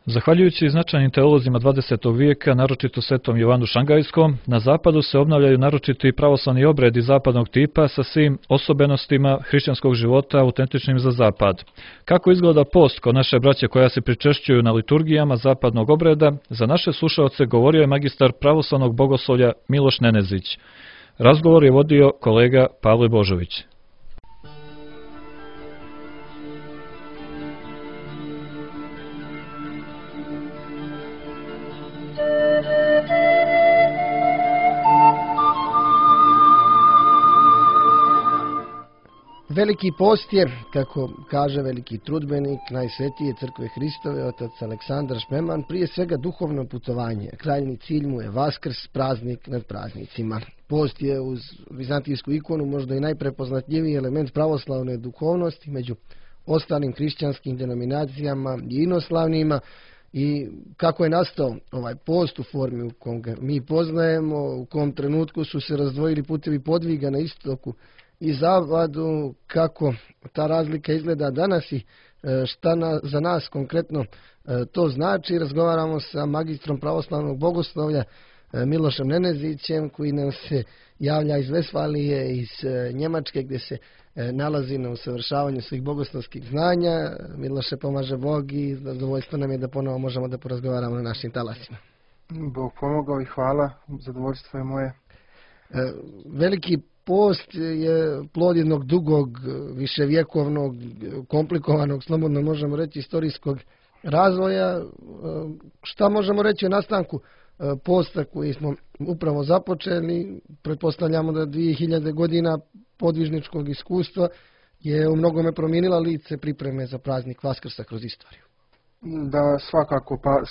Zahvaljujući značajnim teolozima 20. vijeka, naročito svetom Jovanu Šangajskom, na zapadu se obnavljaju naročiti pravoslavni obredi zapadnog tipa sa svim osobenostima hrišćanskog života autentičnim za zapad. Kako izgleda post kod naše braće koja se pričešćuju na liturgijama zapadnog obreda, za naše slušaoce govorio je magistar pravoslavnog bogoslovlja Miloš Nenezić. Razgovor je vodio kolega Pavle Božović. Veliki post je, kako kaže veliki trudbenik Najsvetije crkve Hristove, otac Aleksandar Šmeman, prije svega duhovno putovanje. Krajnji cilj mu je Vaskrs, praznik nad praznicima. Post je uz vizantijsku ikonu možda i najprepoznatljiviji element pravoslavne duhovnosti među ostalim hrišćanskim denominacijama i inoslavnima. I kako je nastao ovaj post u formi u kom ga mi poznajemo, u kom trenutku su se razdvojili putevi podviga na istoku i zapadu, kako ta razlika izgleda danas i šta za nas konkretno to znači, razgovaramo sa magistrom pravoslavnog bogoslovlja Milošem Nenezićem, koji nam se javlja iz Vesfalije, iz Njemačke, gdje se nalazi na usavršavanju svih bogoslovskih znanja. Miloše, pomaže Bog i zadovoljstvo nam je da ponovo možemo da porazgovaramo na našim talasima. Bog pomogao i hvala, zadovoljstvo je moje. Veliki post je plod jednog dugog, viševjekovnog, komplikovanog, slobodno možemo reći, istorijskog razvoja. Šta možemo reći o nastanku posta koji smo upravo započeli? Pretpostavljamo da 2000 godina podvižničkog iskustva je u mnogome promijenila lice pripreme za praznik Vaskrsa kroz istoriju. Da, svakako. Pa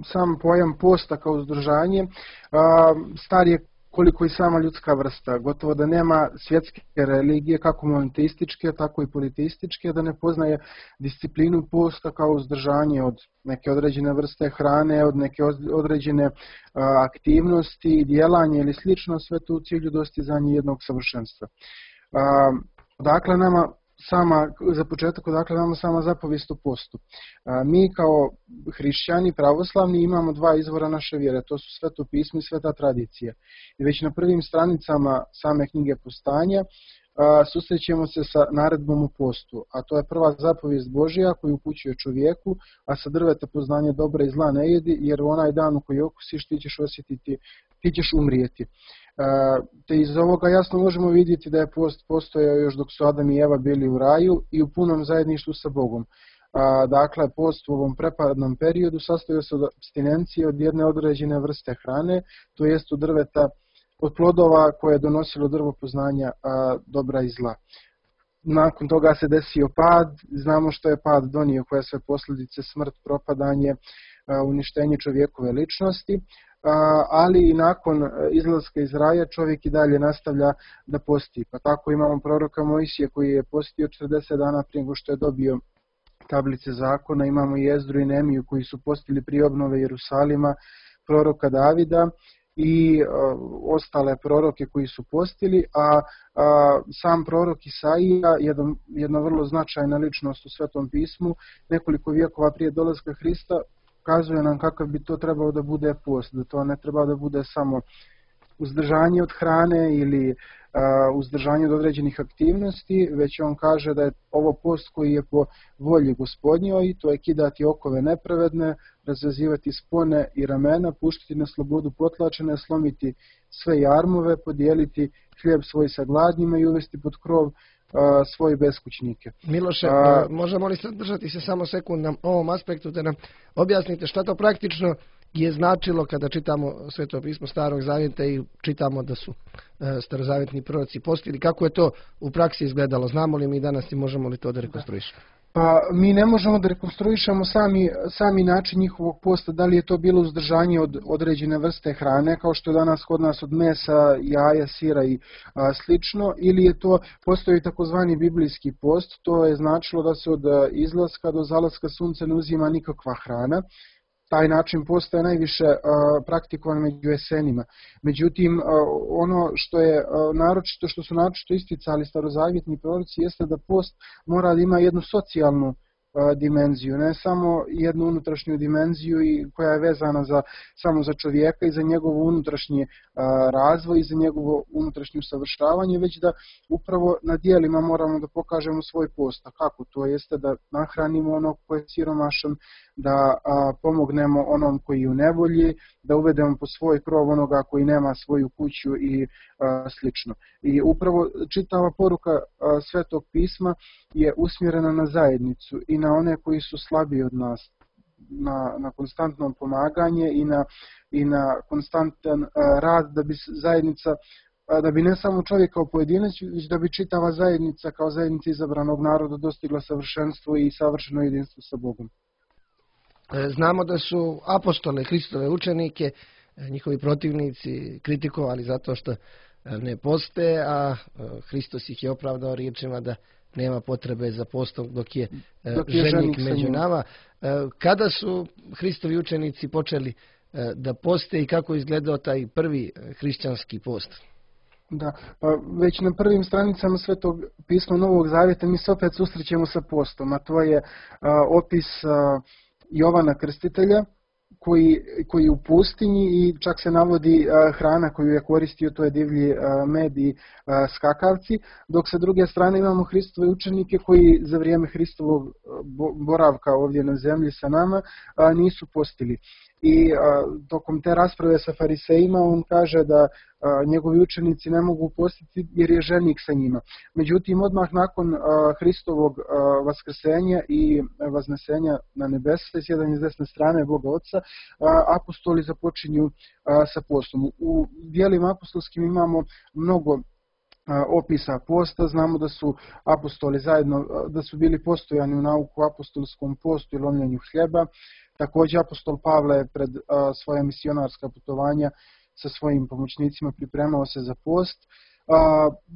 sam pojam posta kao uzdržanje star je koliko i sama ljudska vrsta. Gotovo da nema svjetske religije, kako monoteističke, tako i politeističke, da ne poznaje disciplinu posta kao uzdržanje od neke određene vrste hrane, od neke određene aktivnosti, djelanje ili slično, sve to u cilju dostizanja jednog savršenstva. Dakle, za početak, odakle nama sama zapovijest o postu. Mi kao hrišćani pravoslavni imamo dva izvora naše vjere, to su Sveto pismo i Sveta tradicija. I već na prvim stranicama same knjige Postanja susrećemo se sa naredbom u postu, a to je prva zapovijest Božja koju upućuje čovjeku, a sa drveta poznanja dobra i zla ne jedi, jer u onaj dan u koji okusiš ti ćeš osjetiti, ti ćeš umrijeti. Te iz ovoga jasno možemo vidjeti da je post postojao još dok su Adam i Eva bili u raju i u punom zajedništvu sa Bogom. Dakle, post u ovom prepadnom periodu sastojao se od apstinencije od jedne određene vrste hrane, to jest od drveta, od plodova koje je donosilo drvo poznanja dobra i zla. Nakon toga se desio pad, znamo što je pad donio, koje sve posljedice, smrt, propadanje, uništenje čovjekove ličnosti, ali i nakon izlaska iz raja čovjek i dalje nastavlja da posti. Pa tako imamo proroka Mojsija koji je postio 40 dana prije nego što je dobio tablice zakona, imamo i Ezdru i Nemiju koji su postili prije obnove Jerusalima, proroka Davida i ostale proroke koji su postili, a sam prorok Isaija, jedna vrlo značajna ličnost u Svetom pismu, nekoliko vijekova prije dolaska Hrista, ukazuje nam kakav bi to trebao da bude post, da to ne treba da bude samo uzdržanje od hrane ili uzdržanje od određenih aktivnosti, već on kaže da je ovo post koji je po volji Gospodnjoj, to je kidati okove nepravedne, razvezivati spone i ramena, puštiti na slobodu potlačene, slomiti sve jarmove, podijeliti hljeb svoj sa gladnjima i uvesti pod krov svoje beskućnike. Miloše, možemo li zadržati se samo sekund na ovom aspektu da nam objasnite šta to praktično je značilo kada čitamo Sveto pismo Starog Zavjeta i čitamo da su starozavjetni proroci postili, kako je to u praksi izgledalo, znamo li mi danas i možemo li to da rekonstruišemo? Pa mi ne možemo da rekonstruišemo sami način njihovog posta, da li je to bilo uzdržanje od određene vrste hrane, kao što je danas kod nas od mesa, jaja, sira i slično, ili je to postoji takozvani biblijski post, to je značilo da se od izlaska do zalaska sunca ne uzima nikakva hrana. Taj način posta je najviše praktikovan među Esenima. Međutim, ono što je što su naročito isticali starozavjetni proroci jeste da post mora da ima jednu socijalnu dimenziju, ne samo jednu unutrašnju dimenziju koja je vezana samo za čovjeka i za njegov unutrašnji razvoj i za njegovo unutrašnje usavršavanje, već da upravo na dijelima moramo da pokažemo svoj post. A kako? To jeste da nahranimo onog koji je siromašan, da pomognemo onom koji je u nevolji, da uvedemo po svoj krov onoga koji nema svoju kuću i slično. I upravo čitava poruka Svetog pisma je usmjerena na zajednicu i na one koji su slabiji od nas, na konstantno pomaganje i na konstantan rad da bi zajednica, da bi ne samo čovjek kao pojedinac, već da bi čitava zajednica kao zajednica izabranog naroda dostigla savršenstvo i savršeno jedinstvo sa Bogom. Znamo da su apostole, Hristove učenike, njihovi protivnici kritikovali zato što ne poste, a Hristos ih je opravdao riječima da nema potrebe za postom dok je ženik među nama. Kada su Hristovi učenici počeli da poste i kako je izgledao taj prvi hrišćanski post? Da, pa već na prvim stranicama Svetog pisma Novog Zavjeta mi se opet susrećemo sa postom, a to je opis Jovana Krstitelja koji je u pustinji i čak se navodi hrana koju je koristio, to je divlji med i skakavci, dok sa druge strane imamo Hristove učenike koji za vrijeme Hristovog boravka ovdje na zemlji sa nama nisu postili. I tokom te rasprave sa farisejima on kaže da njegovi učenici ne mogu postiti jer je ženik sa njima. Međutim, odmah nakon Hristovog vaskrsenja i vaznesenja na nebesa, sjedanje s desne strane Boga Oca, apostoli započinju sa postom. U dijelima apostolskim imamo mnogo opisa posta, znamo da su apostoli zajedno, da su bili postojani u nauku apostolskom postu i lomljenju hljeba. Također apostol Pavle je pred svoja misionarska putovanja sa svojim pomoćnicima pripremao se za post.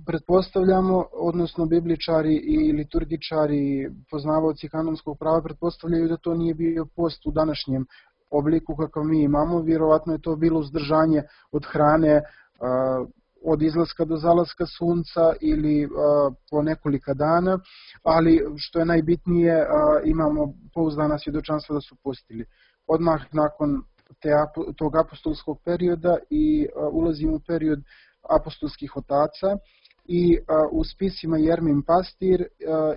Pretpostavljamo, odnosno bibličari i liturgičari, poznavaoci kanonskog prava, pretpostavljaju da to nije bio post u današnjem obliku kakav mi imamo. Vjerovatno je to bilo uzdržanje od hrane od izlaska do zalaska sunca ili po nekolika dana, ali što je najbitnije, imamo pouzdana svjedočanstva da su postili. Odmah nakon tog apostolskog perioda i ulazimo u period apostolskih otaca i u spisima Jermin Pastir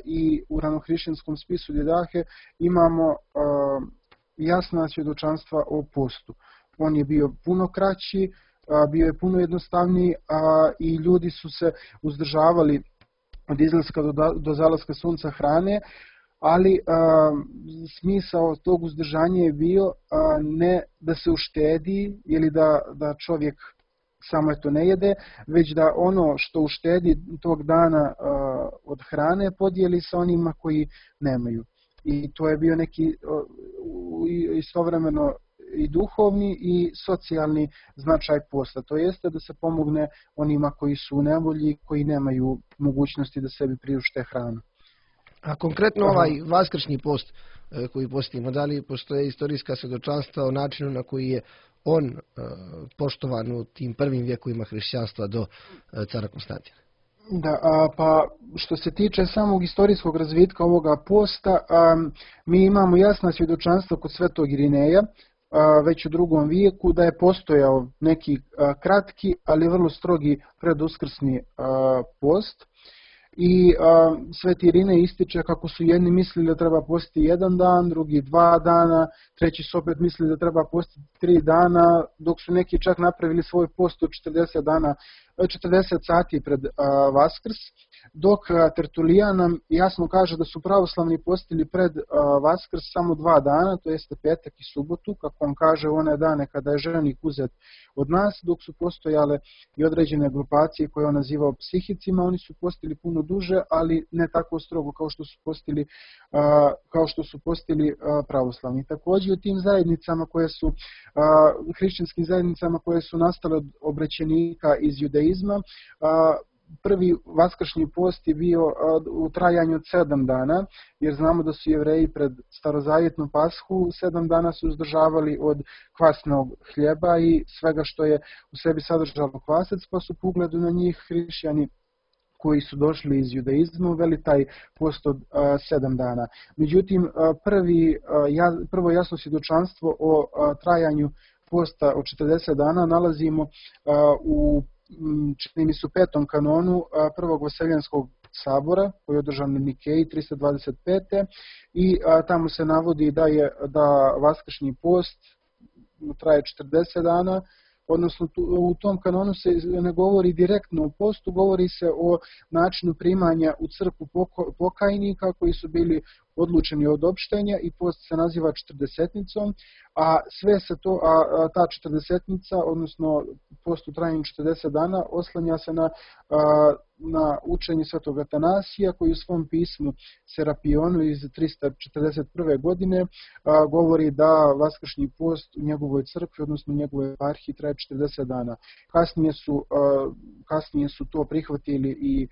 i u ranohrišćanskom spisu Didahe imamo jasna svjedočanstva o postu. On je bio puno kraći, bio je puno jednostavniji i ljudi su se uzdržavali od izlaska do zalaska sunca hrane, ali smisao tog uzdržanja je bio ne da se uštedi ili da čovjek samo to ne jede, već da ono što uštedi tog dana od hrane podijeli sa onima koji nemaju. I to je bio neki istovremeno i duhovni i socijalni značaj posta. To jeste da se pomogne onima koji su u nevolji, koji nemaju mogućnosti da sebi priušte hranu. A konkretno ovaj vaskršnji post koji postimo, da li postoje istorijska svjedočanstva o načinu na koji je on poštovan u tim prvim vjekovima hrišćanstva do cara Konstantina? Da, pa što se tiče samog istorijskog razvitka ovoga posta, mi imamo jasna svjedočanstva kod Svetog Irineja, već u drugom vijeku, da je postojao neki kratki, ali vrlo strogi preduskrsni post. I Sveti Irinej ističe kako su jedni mislili da treba postiti 1 dan, drugi 2 dana, treći su opet mislili da treba postiti 3 dana, dok su neki čak napravili svoj post od 40 sati pred Vaskrs, dok Tertulijan nam jasno kaže da su pravoslavni postili pred Vaskrs samo 2 dana, to jeste petak i subotu, kako on kaže u one dane kada je ženik uzet od nas, dok su postojale i određene grupacije koje on nazivao psihicima, oni su postili puno duže, ali ne tako strogo kao što su postili pravoslavni. Također u tim zajednicama koje su, hrišćanskim zajednicama koje su nastale od obrećenika iz judaizma, prvi vaskršnji post je bio u trajanju od 7 dana, jer znamo da su Jevreji pred starozavjetnu pashu 7 dana su uzdržavali od kvasnog hljeba i svega što je u sebi sadržalo kvasac, pa su po ugledu na njih hrišćani koji su došli iz judaizma uveli taj post od 7 dana. Međutim, prvo jasno svjedočanstvo o trajanju posta od 40 dana nalazimo u čini mi se u 5. kanonu Prvog Vaseljenskog sabora koji je održan u Nikeji 325. I tamo se navodi da vaskršnji post traje 40 dana, odnosno u tom kanonu se ne govori direktno o postu, govori se o načinu primanja u crkvu pokajnika koji su bili odlučeni od opštenja i post se naziva 40-nicom, a ta 40-nica, odnosno post u trajanju 40 dana, oslanja se na učenje svetog Atanasija koji u svom pismu Serapionu iz 341. godine govori da vaskršnji post u njegovoj crkvi, odnosno u njegovoj eparhiji, traje 40 dana. Kasnije su to prihvatili i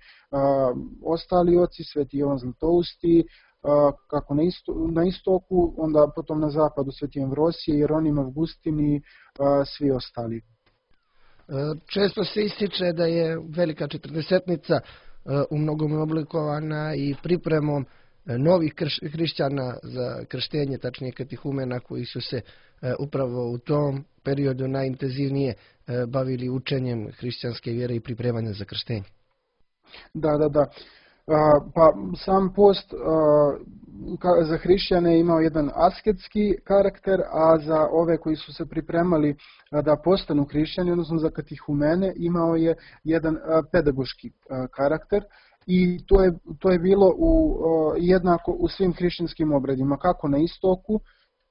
ostali oci, sveti Jovan Zlatousti, kako na istoku, onda potom na zapadu sveti Amvrosije, Jeronim Avgustin i svi ostali. Često se ističe da je velika 40-nica u mnogome oblikovana i pripremom novih hrišćana za krštenje, tačnije katihumena koji su se upravo u tom periodu najintenzivnije bavili učenjem hrišćanske vjere i pripremanja za krštenje. Da. Pa sam post za hrišćane je imao jedan asketski karakter, a za ove koji su se pripremali da postanu hrišćani, odnosno za katihumene, imao je jedan pedagoški karakter. I to je bilo jednako u svim hrišćanskim obredima, kako na istoku,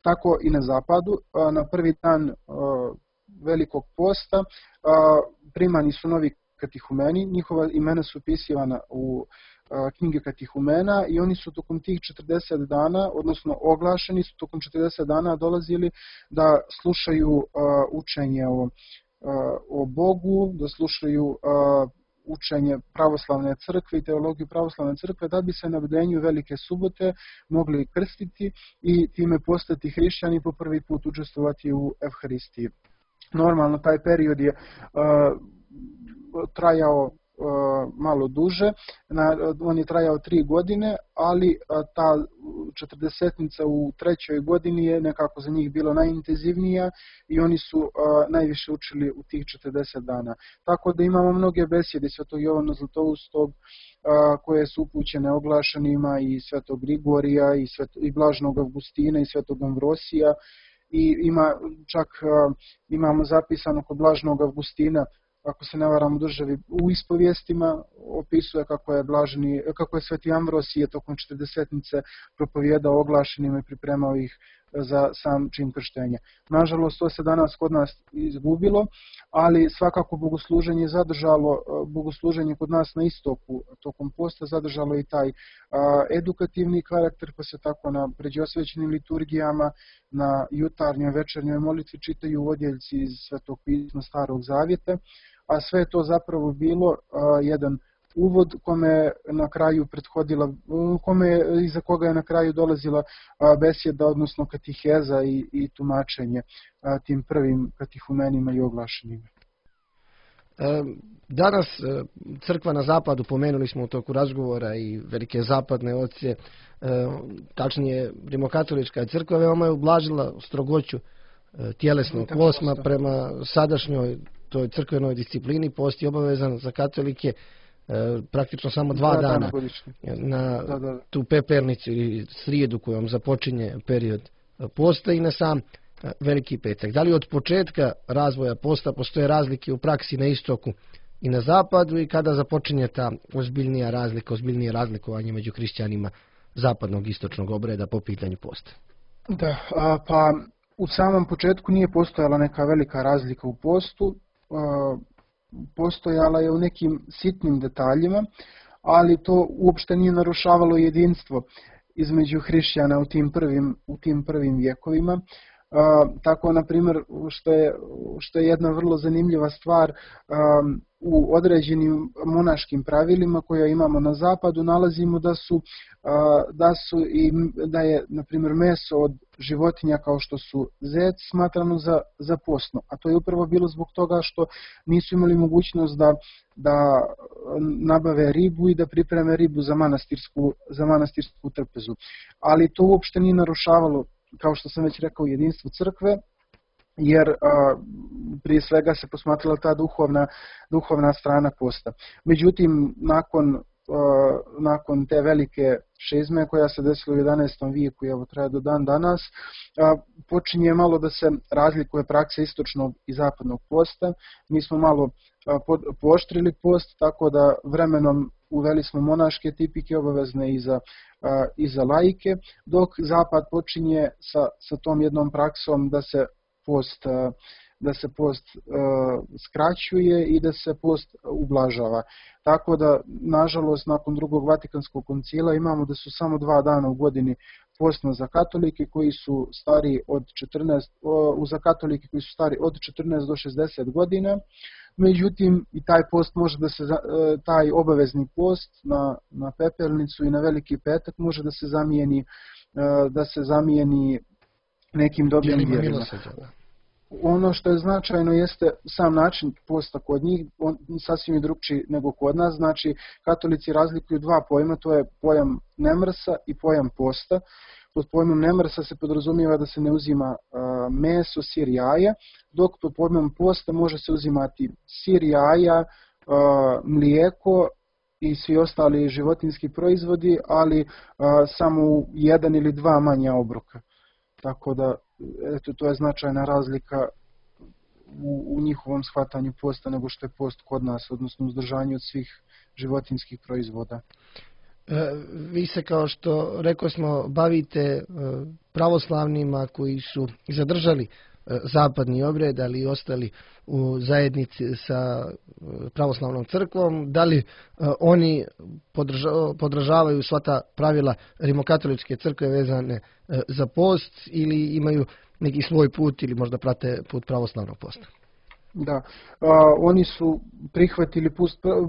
tako i na zapadu. Na prvi dan velikog posta primani su novi katihumeni, njihova imena su upisivana u knjige katihumena i oni su tokom tih 40 dana, odnosno oglašeni su tokom 40 dana dolazili da slušaju učenje o Bogu, da slušaju učenje pravoslavne crkve i teologiju pravoslavne crkve, da bi se na bdenju Velike subote mogli krstiti i time postati hrišćani i po prvi put učestvovati u Evharistiji. Normalno taj period je trajao malo duže, on je trajao 3 godine, ali ta 40-nica u 3. godini je nekako za njih bilo najintenzivnija i oni su najviše učili u tih 40 dana. Tako da imamo mnoge besjede svetog Jovana Zlatoustog koje su upućene oglašenima i svetog Grigorija i blaženog Avgustina i svetog Amvrosija. I imamo zapisano kod blaženog Avgustina, ako se ne varam u državi, u ispovijestima opisuje kako je sveti Amvrosije tokom 40-nice propovijedao oglašenima i pripremao ih za sam čin krštenja. Nažalost, to se danas kod nas izgubilo, ali svakako bogosluženje kod nas na istoku tokom posta zadržalo i taj edukativni karakter, pa se tako na pređosvećenim liturgijama, na jutarnjoj večernjoj molitvi čitaju odjeljci iz Svetog pisma Starog Zavjeta, a sve je to zapravo bilo jedan uvod iza koga je na kraju dolazila besjeda, odnosno katiheza i tumačenje tim prvim katihumenima i oglašenima. Danas crkva na zapadu, pomenuli smo u toku razgovora i velike zapadne oce, tačnije rimokatolička crkva, veoma je ublažila strogoću tjelesnog posma prema sadašnjoj toj crkvenoj disciplini. Post je obavezan za katolike praktično samo 2 dana na tu pepernicu ili srijedu kojom započinje period posta i na sam Veliki petak. Da li od početka razvoja posta postoje razlike u praksi na istoku i na zapadu i kada započinje ta ozbiljnije razlikovanje među hrišćanima zapadnog i istočnog obreda po pitanju posta? Da, pa u samom početku nije postojala neka velika razlika u postu, postojala je u nekim sitnim detaljima, ali to uopšte nije narušavalo jedinstvo između hrišćana u tim prvim vjekovima. Tako, na primjer, što je jedna vrlo zanimljiva stvar, u određenim monaškim pravilima koje imamo na zapadu nalazimo da je, na primjer, meso od životinja kao što su zec smatrano za postno, a to je upravo bilo zbog toga što nisu imali mogućnost da nabave ribu i da pripreme ribu za manastirsku trpezu. Ali to uopšte nije narušavalo, kao što sam već rekao, jedinstvo crkve, jer prije svega se posmatrala ta duhovna strana posta. Međutim, nakon te velike šizme koja se desila u 11. vijeku i evo traje do dan danas, počinje malo da se razlikuje praksa istočnog i zapadnog posta. Mi smo malo pooštrili post, tako da vremenom uveli smo monaške tipike obavezne i za laike, dok zapad počinje sa tom jednom praksom da se post skraćuje i da se post ublažava. Tako da, nažalost, nakon drugog Vatikanskog koncila imamo da su samo 2 dana u godini postno za katolike koji su stari od 14 do 60 godina. Međutim, i taj post može taj obavezni post na pepelnicu i na Veliki petak može da se zamijeni nekim dobrim djelima. Ono što je značajno jeste sam način posta kod njih, on sasvim je drugčiji nego kod nas. Znači, katolici razlikuju 2 pojma, to je pojam nemrsa i pojam posta. Pod pojmom nemrsa se podrazumijeva da se ne uzima meso, sir, jaja, dok pod pojmom posta može se uzimati sir, jaja, mlijeko i svi ostali životinjski proizvodi, ali samo 1 ili 2 manja obroka. Tako da, eto, to je značajna razlika u njihovom shvatanju posta nego što je post kod nas, odnosno uzdržanje od svih životinjskih proizvoda. Vi se, kao što rekao smo, bavite pravoslavnima koji su zadržali zapadni obred, ali i ostali u zajednici sa pravoslavnom crkvom. Da li oni podržavaju sva ta pravila rimokatoličke crkve vezane za post ili imaju neki svoj put ili možda prate put pravoslavnog posta? Da, oni su prihvatili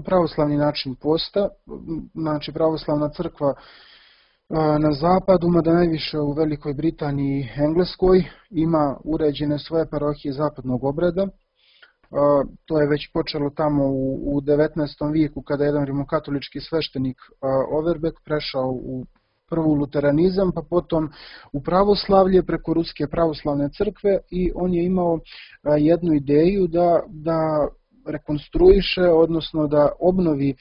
pravoslavni način posta, znači pravoslavna crkva na zapadu, mada najviše u Velikoj Britaniji i Engleskoj, ima uređene svoje parohije zapadnog obreda. To je već počelo tamo u 19. vijeku kada je jedan rimokatolički sveštenik Overbeck prešao u prvo luteranizam, pa potom u pravoslavlje preko Ruske pravoslavne crkve i on je imao jednu ideju da rekonstruiše, odnosno da obnovi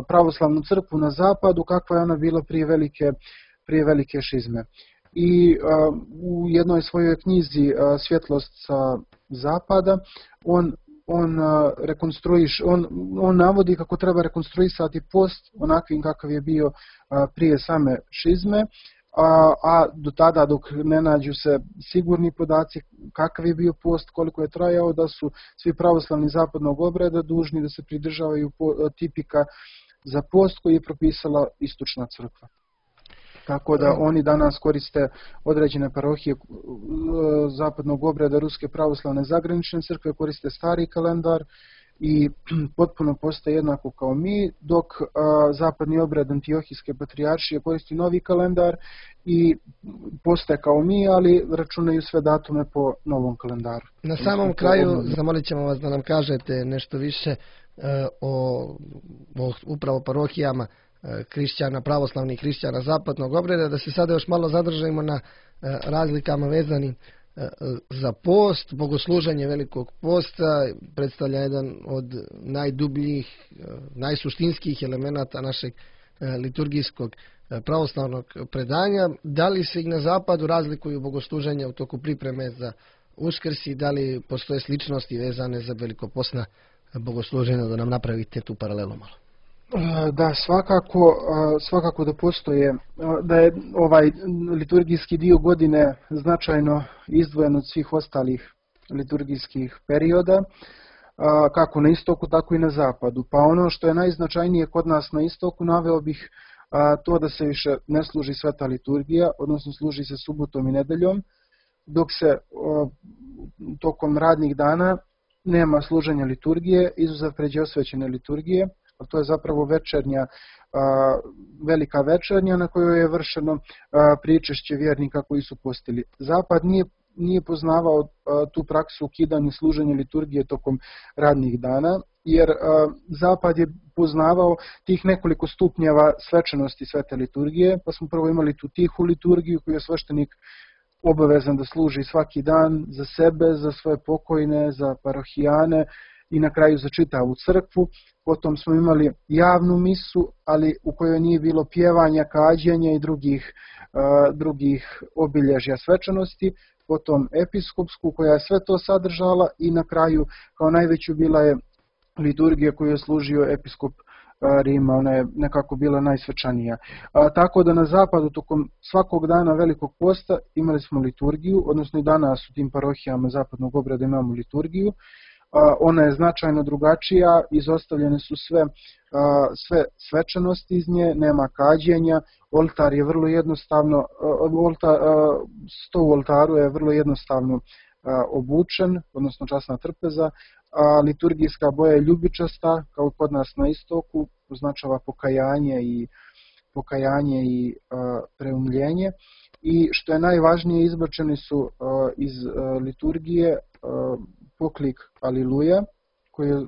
pravoslavnu crkvu na zapadu kakva je ona bila prije velike šizme. I u jednoj svojoj knjizi Svjetlost sa zapada on navodi kako treba rekonstruisati post onakvim kakav je bio prije same šizme, a do tada dok ne nađu se sigurni podaci kakav je bio post, koliko je trajao, da su svi pravoslavni zapadnog obreda dužni da se pridržavaju tipika za post koji je propisala istočna crkva. Tako da oni danas koriste određene parohije zapadnog obreda Ruske pravoslavne zagranične crkve, koriste stari kalendar i potpuno postaje jednako kao mi, dok zapadni obred Antiohijske patrijaršije koristi novi kalendar i postaje kao mi, ali računaju sve datume po novom kalendaru. Na samom kraju zamolit ćemo vas da nam kažete nešto više o upravo parohijama hrišćana, pravoslavnih hrišćana zapadnog obreda, da se sada još malo zadržimo na razlikama vezanim za post. Bogosluženje Velikog posta predstavlja jedan od najdubljih, najsuštinskih elemenata našeg liturgijskog pravoslavnog predanja. Da li se i na zapadu razlikuju bogosluženja u toku pripreme za Uskrs i da li postoje sličnosti vezane za velikopostna bogosluženja, da nam napravite tu paralelu malo? Da, svakako da postoje, da je ovaj liturgijski dio godine značajno izdvojen od svih ostalih liturgijskih perioda, kako na istoku, tako i na zapadu. Pa ono što je najznačajnije kod nas na istoku, naveo bih to da se više ne služi sveta liturgija, odnosno služi se subotom i nedeljom, dok se tokom radnih dana nema služenja liturgije, izuzev pređe osvećene liturgije, a to je zapravo večernja, velika večernja na kojoj je vršeno pričešće vjernika koji su postili. Zapad nije poznavao tu praksu ukidanja služenja liturgije tokom radnih dana, jer Zapad je poznavao tih nekoliko stupnjeva svečanosti svete liturgije, pa smo prvo imali tu tihu liturgiju koju je sveštenik obavezan da služi svaki dan za sebe, za svoje pokojne, za parohijane i na kraju za čitavu crkvu. Potom smo imali javnu misu, ali u kojoj nije bilo pjevanja, kađenja i drugih obilježja svečanosti. Potom episkopsku koja je sve to sadržala i na kraju kao najveću bila je liturgija koju je služio episkop Rima, ona je nekako bila najsvečanija. Tako da na zapadu tokom svakog dana Velikog posta imali smo liturgiju, odnosno i danas u tim parohijama zapadnog obreda imamo liturgiju. Ona je značajno drugačija, izostavljene su sve svečanosti iz nje, nema kađenja, oltar je vrlo jednostavno, sto u oltaru je vrlo jednostavno obučen, odnosno časna trpeza, a liturgijska boja je ljubičasta, kao kod nas na istoku, označava pokajanje i preumljenje. I što je najvažnije, izbačeni su iz liturgije poklik Aliluja, koji je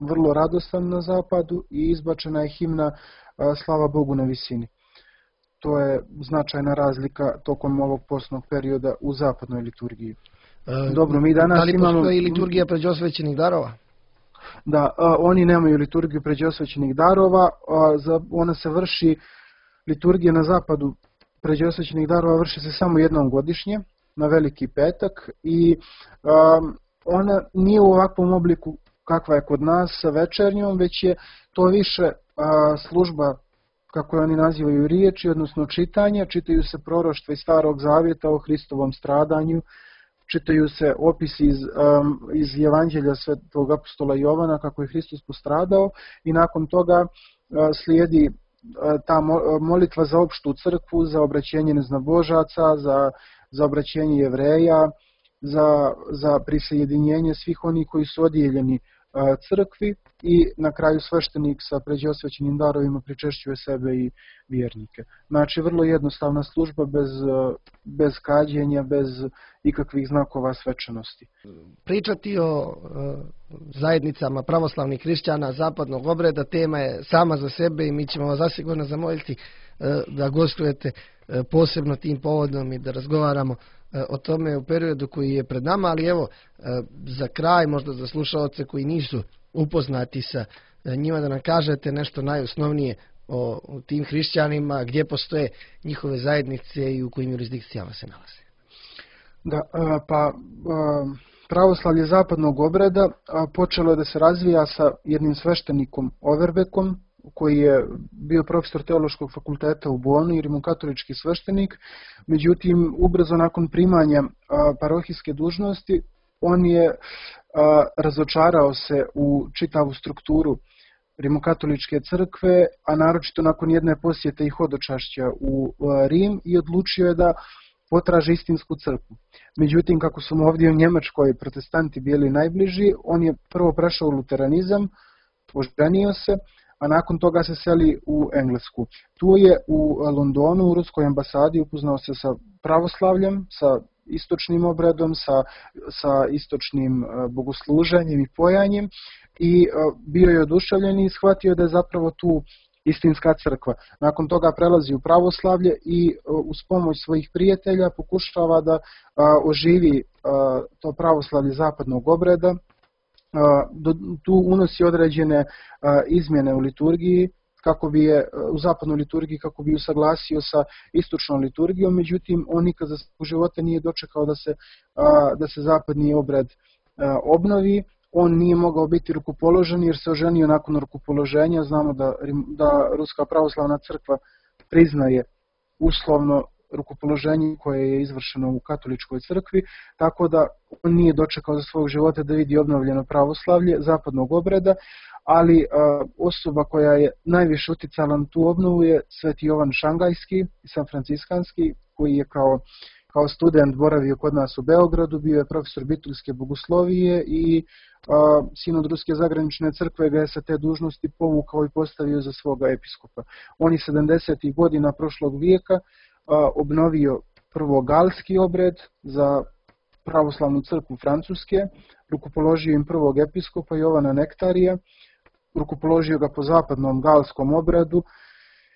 vrlo radostan na zapadu, i izbačena je himna Slava Bogu na visini. To je značajna razlika tokom ovog postnog perioda u zapadnoj liturgiji. Dobro, mi danas da li postoji liturgija pređe osvećenih darova? Da, oni nemaju liturgiju pređe osvećenih darova, ona se vrši, liturgija na zapadu pređe osvećenih darova vrši se samo jednom godišnje, na Veliki petak, i ona nije u ovakvom obliku kakva je kod nas sa večernjom, već je to više služba, kako je oni nazivaju, riječi, odnosno čitanje. Čitaju se proroštva iz Starog zavjeta o Hristovom stradanju, čitaju se opisi iz Evanđelja svetog apostola Jovana kako je Hristos postradao, i nakon toga slijedi ta molitva za opštu crkvu, za obraćenje neznabožaca, za obraćenje Jevreja, za prisjedinjenje svih onih koji su odijeljeni crkvi, i na kraju sveštenik sa pređe osvećenim darovima pričešćuje sebe i vjernike. Znači vrlo jednostavna služba, bez kađenja, bez ikakvih znakova svečanosti. Pričati o zajednicama pravoslavnih hrišćana zapadnog obreda tema je sama za sebe i mi ćemo vas zasigurno zamoliti da gostujete posebno tim povodom i da razgovaramo o tome u periodu koji je pred nama, ali evo za kraj, možda za slušaoce koji nisu upoznati sa njima, da nam kažete nešto najosnovnije o tim hrišćanima, gdje postoje njihove zajednice i u kojim jurisdikcijama se nalaze. Da, pravoslavlje zapadnog obreda počelo je da se razvija sa jednim sveštenikom Overbekom, koji je bio profesor teološkog fakulteta u Bonu i rimokatolički sveštenik. Međutim, ubrzo nakon primanja parohijske dužnosti, on je razočarao se u čitavu strukturu rimokatoličke crkve, a naročito nakon jedne posjete i hodočašća u Rim, i odlučio je da potraži istinsku crkvu. Međutim, kako su mu ovdje u Njemačkoj protestanti bili najbliži, on je prvo prešao u luteranizam, oženio se, a nakon toga se seli u Englesku. Tu je u Londonu, u ruskoj ambasadi, upoznao se sa pravoslavljem, sa istočnim obredom, sa istočnim bogosluženjem i pojanjem, i bio je oduševljen i shvatio da je zapravo tu istinska crkva. Nakon toga prelazi u pravoslavlje i uz pomoć svojih prijatelja pokušava da oživi to pravoslavlje zapadnog obreda. Tu unosi određene izmjene u liturgiji, u zapadnoj liturgiji, kako bi usaglasio sa istočnom liturgijom. Međutim, on nikad za svog života nije dočekao da se zapadni obred obnovi. On nije mogao biti rukopoložen jer se oženio nakon rukopoloženja. Znamo da Ruska pravoslavna crkva priznaje uslovno rukopoloženje koje je izvršeno u katoličkoj crkvi, tako da on nije dočekao za svog života da vidi obnovljeno pravoslavlje zapadnog obreda, ali osoba koja je najviše uticala na tu obnovu je sveti Jovan Šangajski i San Franciskanski, koji je kao kao student boravio kod nas u Beogradu, bio je profesor bituljske bogoslovije i sinod Ruske zagranične crkve ga je sa te dužnosti povukao i postavio za svoga episkopa. On je 70. godina prošlog vijeka obnovio prvo galski obred za pravoslavnu crkvu Francuske, rukopoložio im prvog episkopa Jovana Nektarija, rukopoložio ga po zapadnom galskom obredu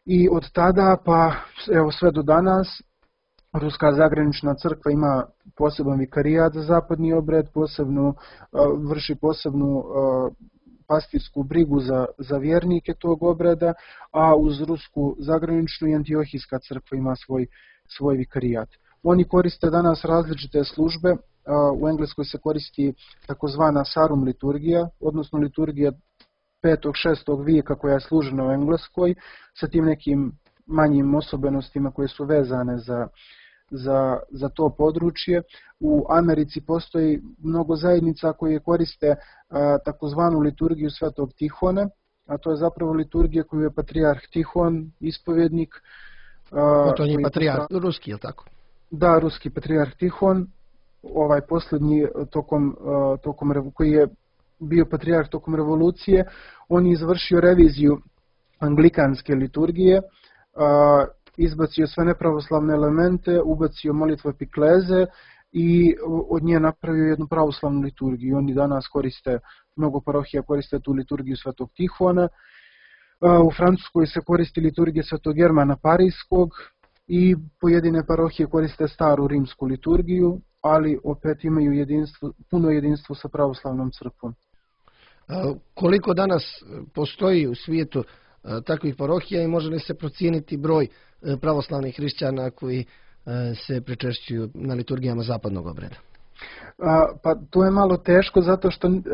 i od tada pa evo sve do danas Ruska zagranična crkva ima poseban vikarijat za zapadni obred, vrši posebnu pastirsku brigu za vjernike tog obreda, a uz Rusku zagraničnu i Antiohijska crkva ima svoj vikarijat. Oni koriste danas različite službe, u Engleskoj se koristi takozvana Sarum liturgija, odnosno liturgija 5. 6. vijeka koja je služena u Engleskoj, sa tim nekim manjim osobenostima koje su vezane za to područje. U Americi postoji mnogo zajednica koje koriste takozvanu liturgiju Svetog Tihona, a to je zapravo liturgija koju je patrijarh Tihon, ispovjednik. To je patrijarh ruski, je li tako? Da, ruski patrijarh Tihon, ovaj posljednji koji je bio patrijarh tokom revolucije, on je izvršio reviziju anglikanske liturgije, izbacio sve nepravoslavne elemente, ubacio molitvu epikleze i od nje napravio jednu pravoslavnu liturgiju. Oni danas koriste, mnogo parohija koriste tu liturgiju Svetog Tihona. U Francuskoj se koristi liturgija Svetog Germana Parijskog i pojedine parohije koriste staru rimsku liturgiju, ali opet imaju puno jedinstvo sa pravoslavnom crkvom. Koliko danas postoji u svijetu takvih parohija i može li se procijeniti broj pravoslavnih hrišćana koji se pričešćuju na liturgijama zapadnog obreda? Pa to je malo teško zato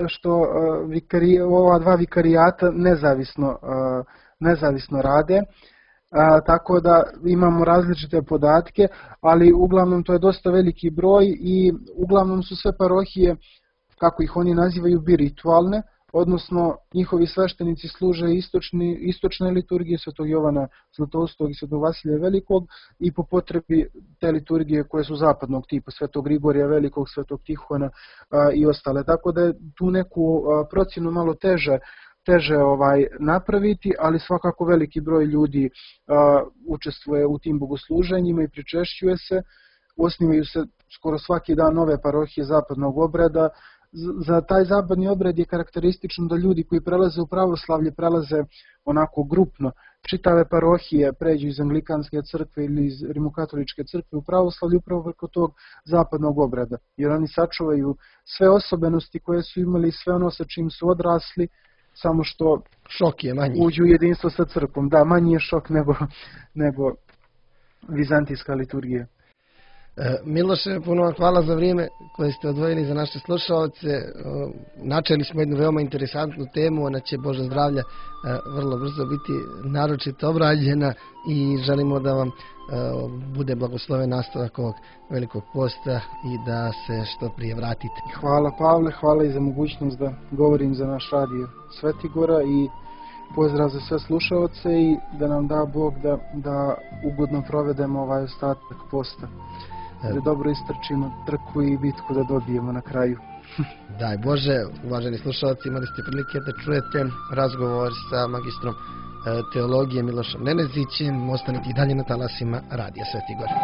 što ova dva vikarijata nezavisno rade, tako da imamo različite podatke, ali uglavnom to je dosta veliki broj i uglavnom su sve parohije, kako ih oni nazivaju, biritualne, odnosno njihovi sveštenici služe istočne liturgije Svetog Jovana Zlatoustog i Svetog Vasilija Velikog i po potrebi te liturgije koje su zapadnog tipa, Svetog Grigorija Velikog, Svetog Tihona i ostale. Tako da je tu neku procjenu malo teže napraviti, ali svakako veliki broj ljudi učestvuje u tim bogosluženjima i pričešćuje se. Osnivaju se skoro svaki dan nove parohije zapadnog obreda. Za taj zapadni obred je karakteristično da ljudi koji prelaze u pravoslavlje prelaze onako grupno. Čitave parohije pređu iz anglikanske crkve ili iz rimokatoličke crkve u pravoslavlje upravo preko tog zapadnog obreda. Jer oni sačuvaju sve osobenosti koje su imali, sve ono sa čim su odrasli, samo što šok je manji. Uđu u jedinstvo sa crkvom. Da, manji je šok nego vizantijska liturgija. Miloše, puno vam hvala za vrijeme koje ste odvojili za naše slušalce. Načeli smo jednu veoma interesantnu temu, ona će, Bože zdravlja, vrlo brzo biti naročito obrađena i želimo da vam bude blagosloven nastavak ovog velikog posta i da se što prije vratite. Hvala Pavle, hvala i za mogućnost da govorim za naš radio Svetigora i pozdrav za sve slušalce i da nam da Bog da ugodno provedemo ovaj ostatak posta. Da dobro istrčimo trku i bitku da dobijemo na kraju. Daj Bože, uvaženi slušalci, imali ste prilike da čujete razgovor sa magistrom teologije Milošem Nenezićem. Ostanite i dalje na talasima Radija Svetigora.